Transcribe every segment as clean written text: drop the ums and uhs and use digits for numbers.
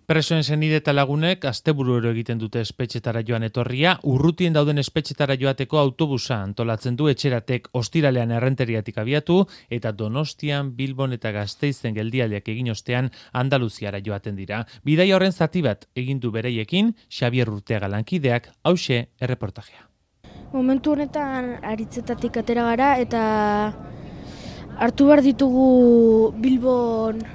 Presoen senide eta lagunek asteburuero egiten dute espetxetara joan etorria, urrutien dauden espetxetara joateko autobusa antolatzen du Etxeratek ostiralean Errenteriatik abiatu eta Donostian, Bilbon eta Gasteizen geldialdiak egin ostean Andaluziara joaten dira. Bidaia horren zati bat egin du bereiekin Xabier Urteaga lankideak, hauxe erreportajea. Momentu honetan Aritzetatik atera gara eta hartu behar ditugu Bilbon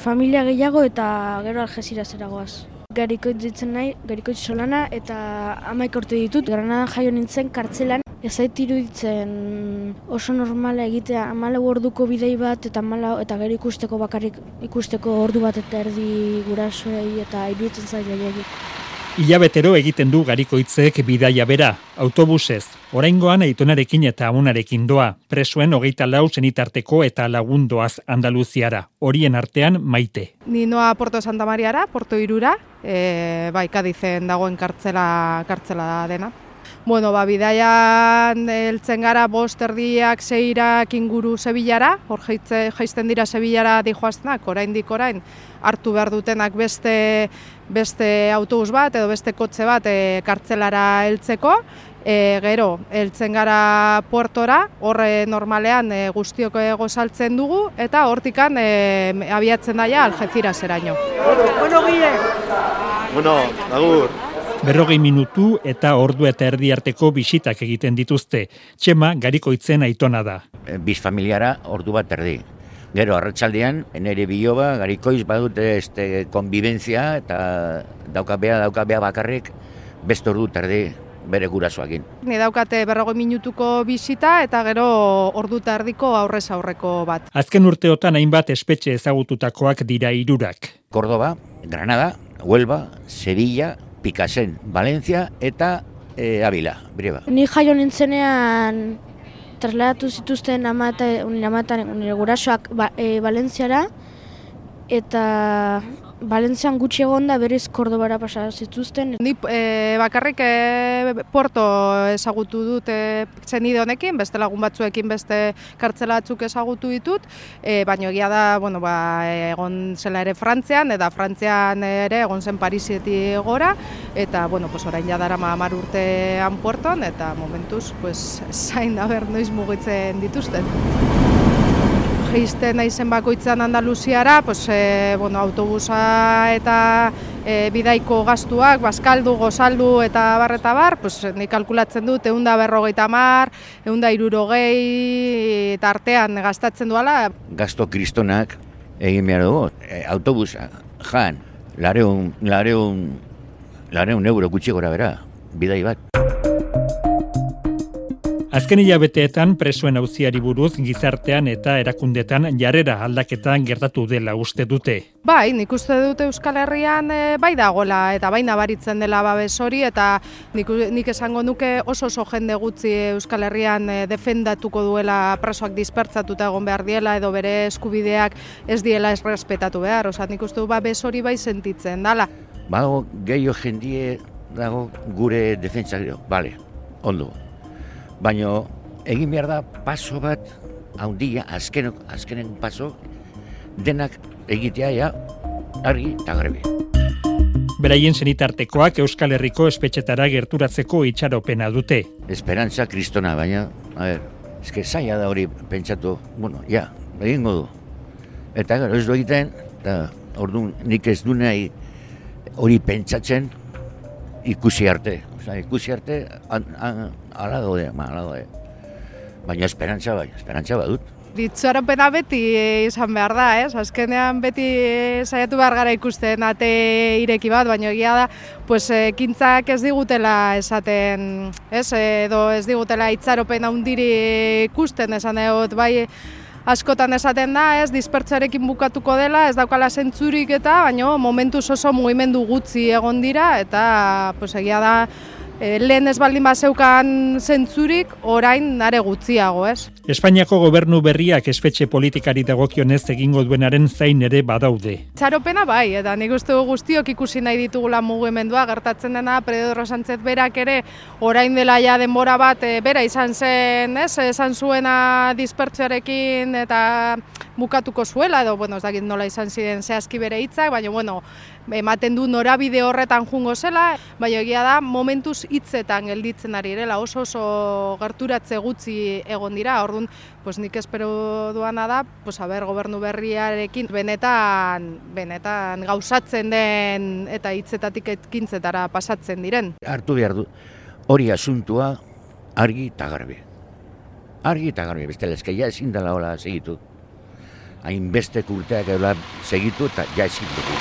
familia gehiago eta gero Algeciras goaz. Garikoitz ditzen nahi, Garikoitz Solana eta 11 urte ditut. Granadan jaio nintzen kartzelan. Ez zait iruditzen oso normala egitea 14 orduko bidei bat eta gero ikusteko ordu bat eta erdi gurasoei eta iruditzen zait gehiagik. Hilabetero egiten du Garikoitzek bidaia bera, autobusez. Oraingoan aitonarekin eta amunarekin doa, presoen 24 senitarteko eta lagundoaz Andaluziara, horien artean Maite. Ni noa Porto Santa Mariara, Porto Irura, Kadizen dagoen kartzela da dena. Bueno, bidaian heltzen gara 5 erdiak 6 inguru Sevillara, hor jaisten dira Sevillara dijoaztenak, orain hartu behar dutenak beste autobus bat edo beste kotxe bat kartzelara heltzeko. Gero, heltzen gara Puertora, horre normalean guztiok gozaltzen dugu, eta hortikan abiatzen daia Algeciraseraino. Bueno, agur. 40 minutu eta ordu eta erdi arteko bisitak egiten dituzte. Txema Garikoitzen aitona da. Biz familiara ordu bat erdi. Gero arratsaldean nere biloba Garikoiz badute konbibentzia eta daukabea bakarrik beste ordu eta erdi bere gurasoekin. Ni daukate 40 minutuko bisita eta gero ordu eta erdiko aurrez aurreko bat. Azken urteotan hainbat espetxe ezagututakoak dira 3. Córdoba, Granada, Huelva, Sevilla, Picasen, Valencia eta Avila, Brieba. Ni jaio nintzenean trasladatu zituzten nire gurasoak Valentziara eta Valentzian gutxi egonda berriz Kordobara pasa zituzten. Ni bakarrik Porto ezagutu dut senide honekin, beste lagun batzuekin beste kartzela batzuk ezagutu ditut, baina egia da, egon zela ere Frantzian, eta Frantzian ere egon zen Parisetik gora, eta orain jadarama 10 urtean Puerton, eta momentuz zain da ber noiz mugitzen dituzten. Jaisten naizen bakoitzan Andaluziara, autobusa eta bidaiko gastuak, bazkaldu, gozaldu eta bar, nik kalkulatzen dut 150, 160 eta artean gastatzen duala. Gasto kristonak egin behar dugu, autobusa, jan, 400 euro gutxi gora bera, bidai bat. Azken hilabeteetan presoen auziari buruz gizartean eta erakundetan jarrera aldaketan gertatu dela uste dute. Bai, nik uste dute Euskal Herrian bai dagoela eta bai nabaritzen dela babes hori eta nik esango nuke oso jende gutxi Euskal Herrian defendatuko duela presoak dispertsatuta egon behar diela edo bere eskubideak ez diela ez respetatu behar. Nik uste du babes hori bai sentitzen dela. Bago gehiago jendie dago gure defentsa, bale, ondo. Baina egin behar da paso bat, handia, azkenen paso, denak egitea argi eta garbi. Beraien senitartekoak Euskal Herriko espetxetara gerturatzeko itxaropena dute. Esperantza kristona, baina, zaila da hori pentsatu, egingo du. Eta gero ez du egiten, eta orduan nik ez du nahi hori pentsatzen ikusi arte. Ikusi arte, ala daude. Baina esperantza badut. Itxaropena beti izan behar da, azkenean beti saiatu behar gara ikusten ate ireki bat, baina egia da, ekintzak ez digutela esaten, edo ez digutela itxaropen handiri ikusten esan egot, bai askotan esaten da, dispertsarekin bukatuko dela, ez daukala zentzurik eta, baina momentuz oso mugimendu gutxi egon dira, eta egia da, lehen ez baldin bazeukan zentzurik, orain nare gutxiago, Espainiako gobernu berriak espetxe politikari dagokionez egingo duenaren zain ere badaude. Txaropena bai, eta nik uste guztiok ikusi nahi ditugula mugimendua, gertatzen dena Pedro Sánchez berak ere orain dela ja denbora bat bera izan zen, esan zuena dispertsioarekin eta bukatuko zuela, edo, bueno, ez dakit nola izan ziren zehazki bere hitzak, baina, bueno, ematen du norabide horretan jungo zela, baina egia da momentuz hitzetan gelditzen ari direla, oso gerturatze gutxi egon dira, orduan, pues nik espero duana da, pues gobernu berriarekin benetan gauzatzen den eta hitzetatik ekintzetara pasatzen diren. Hartu behar du, hori asuntua argi eta garbi. Argi eta garbi, bestela eske ja ezin dela hola segitu. Hainbeste urteak eula segitu eta ja ezin dugu.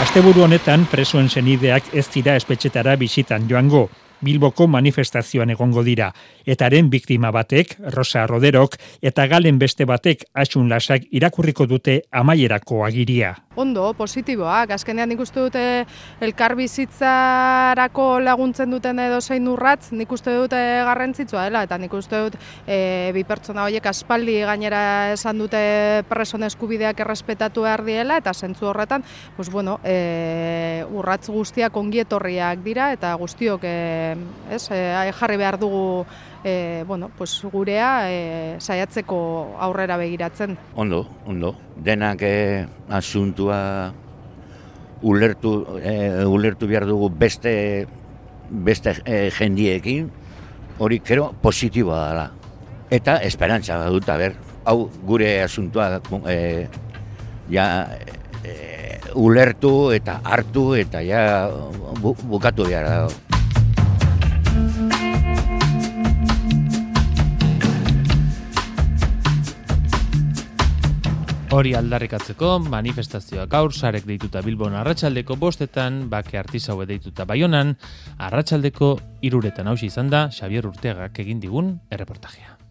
Asteburu honetan presoen senideak ez dira espetxetara bisitan joango. Bilboko manifestazioan egongo dira. Etaren biktima batek, Rosa Roderok, eta Galen beste batek, Asun Lasak irakurriko dute amaierako agiria. Ondo, positiboak. Azkenean nik uste dute elkarbizitzarako laguntzen duten edozein urratz, nik uste dute garrantzitsua dela, eta nik uste dut bi pertsona horiek aspaldi gainera esan dute preson eskubideak errespetatu behar diela, eta zentzu horretan, pues bueno, urratz guztiak ongietorriak dira, eta guztiok jarri behar dugu bueno, pues gurea saiatzeko aurrera begiratzen. Ondo. Denak asuntua ulertu behar dugu beste jendiekin, hori kero positiboa dela. Eta esperantza dut, hau gure asuntua ulertu eta hartu eta bukatu behar dago. Hori aldarrikatzeko manifestazioa gaur sarek deituta Bilbon arratsaldeko 5etan, Bake Artisaue deituta Baionan, arratsaldeko 3etan hauxe izan da Xabier Urteagak egin digun erreportajea.